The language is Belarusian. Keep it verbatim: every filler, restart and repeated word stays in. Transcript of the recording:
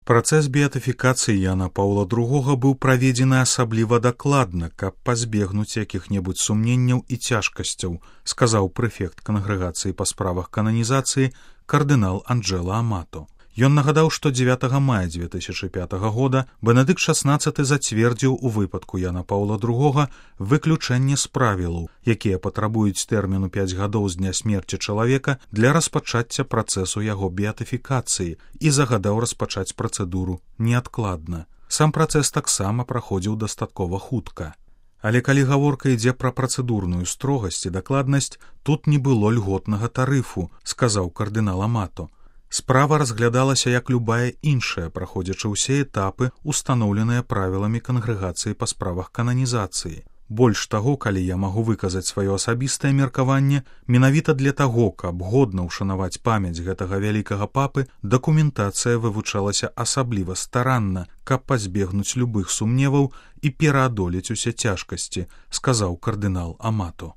Працэс беатыфікацыі Яна Паўла другога быў праведзены асабліва дакладна, каб пазбегнуць якіх-небудзь сумненняў і цяжкасцяў, сказаў прэфект кангрэгацыі па справах кананізацыі кардынал Анджэла Амато. Ён нагадаў, што дзевятага мая дзве тысячы пятага года Бенедыкт шаснаццаты зацвердзіў у выпадку Яна Паўла другога выключэнне з правілаў, якія патрабуюць тэрміну пяць гадоў з дня смерці чалавека для распачацця працэсу яго беатыфікацыі і загадаў распачаць працэдуру неадкладна. Сам працэс таксама праходзіў дастаткова хутка. Але калі гаворка ідзе пра працэдурную строгасць і дакладнасць, тут не было льготнага тарыфу, сказаў кардынал Амато. Справа разглядалася як любая іншая, праходзячы ўсе этапы, устаноўленыя правіламі кангрэгацыі па справах кананізацыі. Больш таго, калі я магу выказаць сваё асабістае меркаванне, менавіта для таго, каб годна ўшанаваць памяць гэтага вялікага папы, дакументацыя вывучалася асабліва старанна, каб пазбегнуць любых сумневаў і пераадолець усе цяжкасці, сказаў кардынал Амато.